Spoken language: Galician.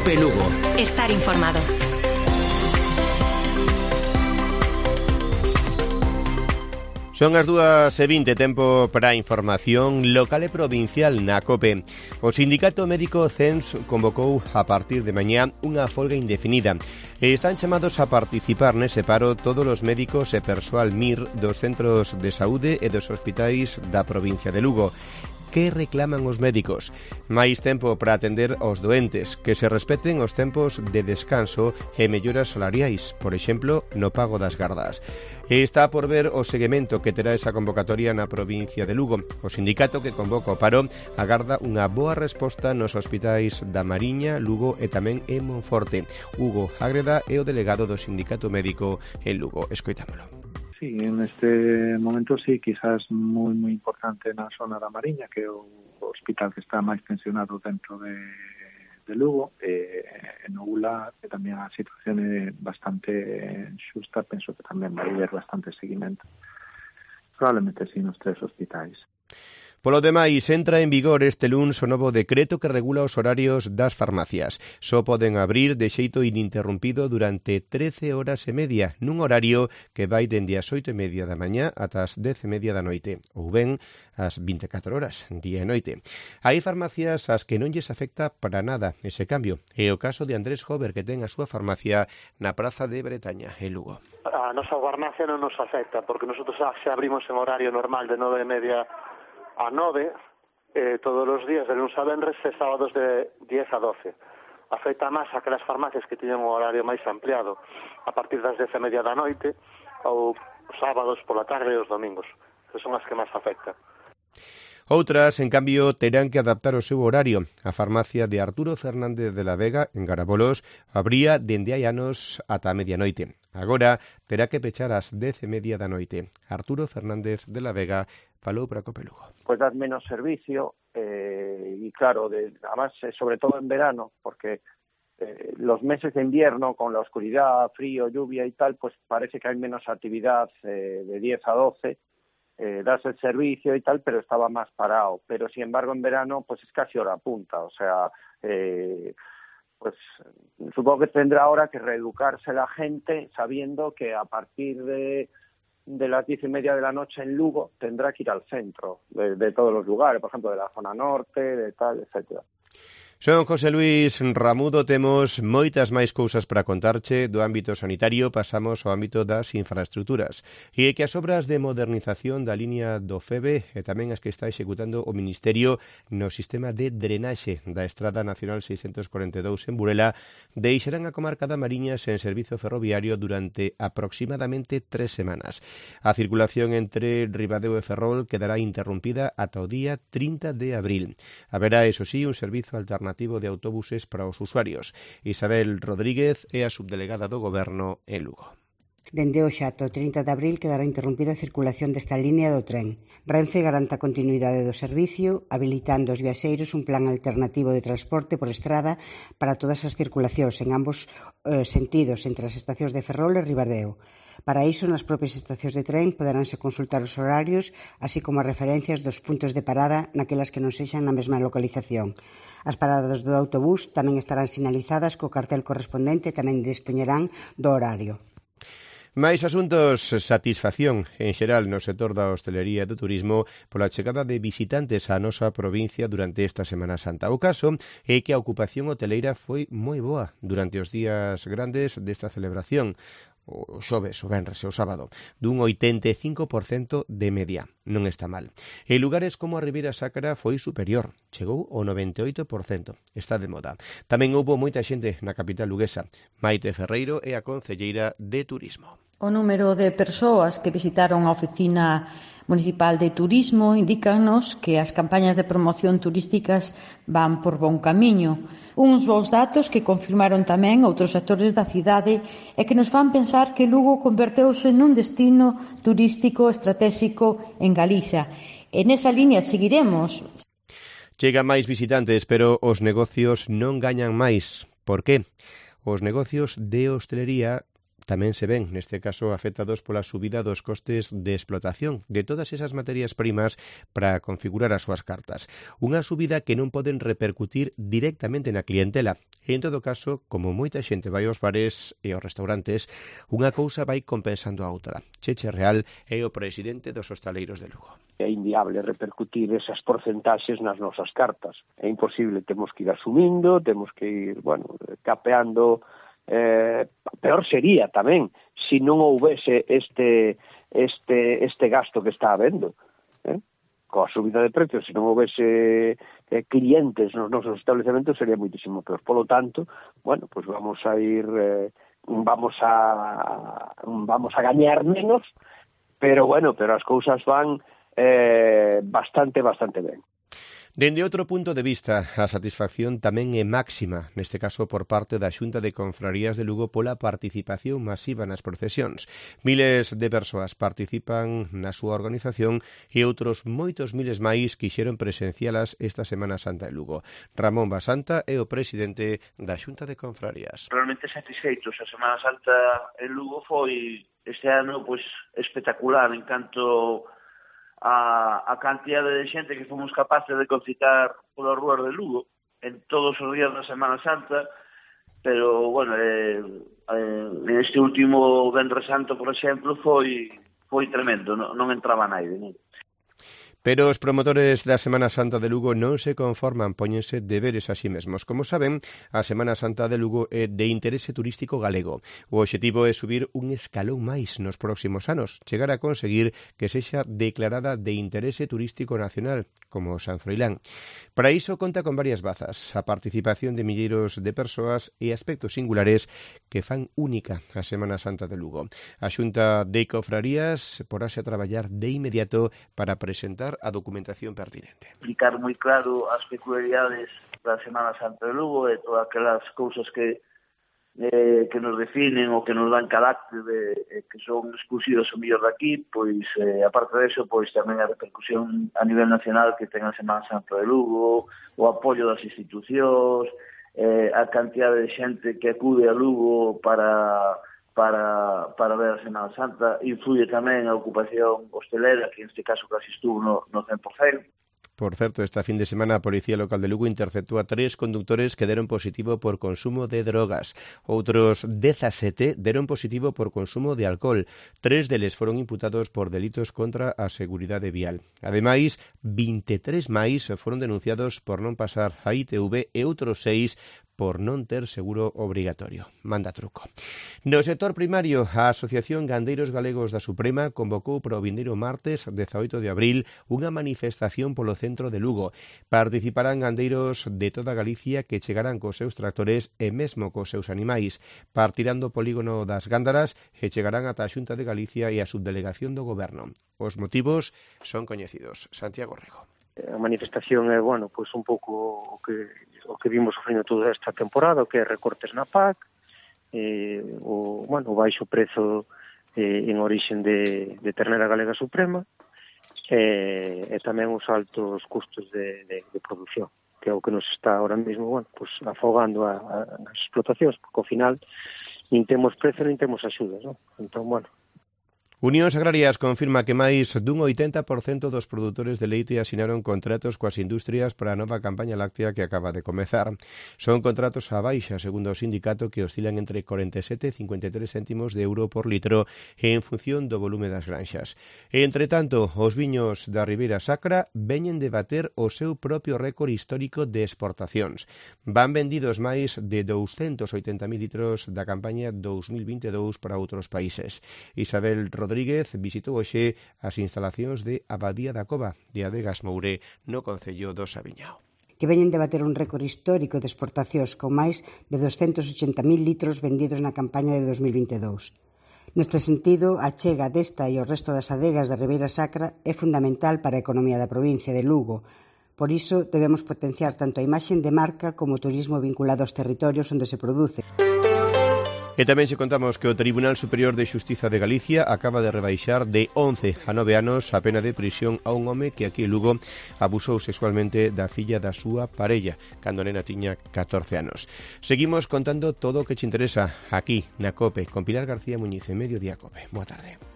Cope Lugo. Estar informado. Son as 2:20, tempo para a información local e provincial na COPE. O Sindicato Médico CENS convocou a partir de mañá unha folga indefinida e están chamados a participar nese paro todos os médicos e persoal MIR dos centros de saúde e dos hospitais da provincia de Lugo. Que reclaman os médicos? Máis tempo para atender aos doentes, que se respeten os tempos de descanso e melloras salariais, por exemplo, no pago das gardas. E está por ver o seguimento que terá esa convocatoria na provincia de Lugo. O sindicato que convoca o paro agarda unha boa resposta nos hospitais da Mariña, Lugo e tamén en Monforte. Hugo Ágreda é o delegado do Sindicato Médico en Lugo. Escoitámolo. Sí, en este momento sí, quizás moi importante na zona da Mariña, que é o hospital que está máis tensionado dentro de Lugo, en Oula, que tamén a situación é bastante xusta, penso que tamén vai haber bastante seguimento. Probablemente sí nos 3 hospitais. Polo demais, entra en vigor este luns o novo decreto que regula os horarios das farmacias. Só poden abrir de xeito ininterrompido durante 13 horas e media, nun horario que vai dende as 8:30 da mañá ata as 10:30 da noite, ou ben as 24 horas, día e noite. Hai farmacias ás que non lles afecta para nada ese cambio. É o caso de Andrés Jover, que ten a súa farmacia na Praza de Bretaña, en Lugo. A nosa farmacia non nos afecta, porque nosotros xa abrimos en horario normal de 9:30 a 9, todos os días de lunes a venres e sábados de 10 a 12. Afecta máis aquelas farmacias que tiñen un horario máis ampliado a partir das 10:30 da noite ou sábados pola tarde e os domingos, que son as que máis afectan. Outras, en cambio, terán que adaptar o seu horario. A farmacia de Arturo Fernández de la Vega, en Garabolos, abría dende hai anos ata a medianoite. Agora terá que pechar ás 10:30 da noite. Arturo Fernández de la Vega falou para Cope Lugo. Pues das menos servicio y claro, además sobre todo en verano, porque los meses de invierno con la oscuridad, frío, lluvia y tal, pues parece que hay menos actividad de 10 a 12, das el servicio y tal, pero estaba más parado. Pero sin embargo en verano pues es casi hora punta, o sea, pues supongo que tendrá ahora que reeducarse la gente sabiendo que a partir de las 10:30 de la noche en Lugo tendrá que ir al centro de todos los lugares, por ejemplo de la zona norte, de tal, etcétera. Son José Luis Ramudo, temos moitas máis cousas para contarche. Do ámbito sanitario pasamos ao ámbito das infraestructuras. E é que as obras de modernización da liña do FEBE e tamén as que está executando o Ministerio no sistema de drenaxe da Estrada Nacional 642 en Burela deixarán a comarca da Mariña sen servizo ferroviario durante aproximadamente 3 semanas. A circulación entre Ribadeo e Ferrol quedará interrumpida ata o día 30 de abril. Haberá, eso sí, un servizo alternativo de autobuses para os usuarios. Isabel Rodríguez é a subdelegada do Goberno en Lugo. Dende hoxe ata o 30 de abril quedará interrompida a circulación desta línea do tren. Renfe garanta a continuidade do servicio, habilitando aos viaxeiros un plan alternativo de transporte por estrada para todas as circulacións en ambos sentidos entre as estacións de Ferrol e Ribadeo. Para iso, nas propias estacións de tren poderánse consultar os horarios, así como as referencias dos puntos de parada naquelas que non sexan na mesma localización. As paradas do autobús tamén estarán sinalizadas co cartel correspondente e tamén dispoñerán do horario. Máis asuntos, satisfacción en xeral no sector da hostelería e do turismo pola chegada de visitantes á nosa provincia durante esta Semana Santa. O caso é que a ocupación hoteleira foi moi boa durante os días grandes desta celebración, o xoves, o venres e o sábado, dun 85% de media. Non está mal. En lugares como a Ribeira Sacra foi superior, chegou ao 98%. Está de moda. Tamén houbo moita xente na capital luguesa. Maite Ferreiro é a concelleira de Turismo. O número de persoas que visitaron a oficina municipal de turismo indícanos que as campañas de promoción turísticas van por bon camiño. Uns bons datos que confirmaron tamén outros actores da cidade e que nos fan pensar que Lugo converteuse nun destino turístico estratégico en Galicia. E nesa liña seguiremos. Chegan máis visitantes, pero os negocios non gañan máis. Por qué? Os negocios de hostelería tamén se ven, neste caso, afectados pola subida dos costes de explotación de todas esas materias primas para configurar as súas cartas. Unha subida que non poden repercutir directamente na clientela. E, en todo caso, como moita xente vai aos bares e aos restaurantes, unha cousa vai compensando a outra. Cheche Real é o presidente dos hostaleiros de Lugo. É inviable repercutir esas porcentaxes nas nosas cartas. É imposible, temos que ir asumindo, temos que ir, capeando. Peor sería tamén se non houvese este gasto que está habendo, coa subida de precios, se non houvese clientes nos nosos estabelecementos sería moitísimo peor. Polo tanto, pues vamos a ir vamos a gañar menos, pero as cousas van bastante ben. Dende outro punto de vista, a satisfacción tamén é máxima, neste caso por parte da Xunta de Confrarías de Lugo pola participación masiva nas procesións. Miles de persoas participan na súa organización e outros moitos miles máis quixeron presencialas esta Semana Santa en Lugo. Ramón Basanta é o presidente da Xunta de Confrarías. Realmente satisfeitos. A Semana Santa en Lugo foi este ano espectacular en canto a cantidade de xente que fomos capaces de concitar polas rúas de Lugo en todos os días da Semana Santa, pero, este último Venres Santo, por exemplo, foi tremendo, non entraba naide, non? Pero os promotores da Semana Santa de Lugo non se conforman, póñense deberes a si mesmos. Como saben, a Semana Santa de Lugo é de interese turístico galego. O obxectivo é subir un escalón máis nos próximos anos, chegar a conseguir que sexa declarada de interese turístico nacional, como San Froilán. Para iso conta con varias bazas, a participación de milleiros de persoas e aspectos singulares que fan única a Semana Santa de Lugo. A Xunta de Confrarías porase a traballar de inmediato para presentar a documentación pertinente. Explicar moi claro as peculiaridades da Semana Santa de Lugo e todas aquelas cousas que nos definen ou que nos dan carácter que son exclusivas o mellor daqui, pois aparte disso, pois tamén a repercusión a nivel nacional que ten a Semana Santa de Lugo, o apoio das institucións, a cantidade de xente que acude a Lugo para ver a Semana Santa. Influye tamén a ocupación hostelera, que neste caso casi estuvo no 100%. Por certo, esta fin de semana a Policía Local de Lugo interceptou a 3 conductores que deron positivo por consumo de drogas. Outros 17 deron positivo por consumo de alcohol. 3 deles foron imputados por delitos contra a seguridade vial. Ademais, 23 máis foron denunciados por non pasar a ITV e outros 6 por non ter seguro obrigatorio. Manda truco. No sector primario, a Asociación Gandeiros Galegos da Suprema convocou para o vindeiro martes 18 de abril unha manifestación polo centro de Lugo. Participarán gandeiros de toda Galicia que chegarán cos seus tractores e mesmo cos seus animais. Partirán do polígono das Gándaras e chegarán ata a Xunta de Galicia e a subdelegación do Goberno. Os motivos son coñecidos. Santiago Rego. A manifestación é, pois un pouco o que vimos sofrendo toda esta temporada, o que é recortes na PAC, o baixo prezo en orixen de ternera galega suprema, e tamén os altos custos de produción, que é o que nos está ahora mesmo, pues afogando as explotacións, porque ao final nin temos prezo, nin temos axudas, non? Entón, Unións Agrarias confirma que máis dun 80% dos produtores de leite asinaron contratos coas industrias para a nova campaña láctea que acaba de comezar. Son contratos a baixa, segundo o sindicato, que oscilan entre 47 e 53 céntimos de euro por litro en función do volume das granxas. Entre tanto, os viños da Ribeira Sacra veñen de bater o seu propio récord histórico de exportacións. Van vendidos máis de 280.000 litros da campaña 2022 para outros países. Isabel Rodríguez visitou hoxe as instalacións de Abadía da Cova de Adegas Moure no concello do Sabiñao. Que veñen de bater un récord histórico de exportacións con máis de 280.000 litros vendidos na campaña de 2022. Neste sentido, a chega desta e o resto das adegas da Ribeira Sacra é fundamental para a economía da provincia de Lugo. Por iso, debemos potenciar tanto a imaxe de marca como o turismo vinculado aos territorios onde se produce. E tamén se contamos que o Tribunal Superior de Xustiza de Galicia acaba de rebaixar de 11 a 9 anos a pena de prisión a un home que aquí en Lugo abusou sexualmente da filla da súa parella, cando a nena tiña 14 anos. Seguimos contando todo o que te interesa aquí na COPE, con Pilar García Muñiz en Mediodía COPE. Boa tarde.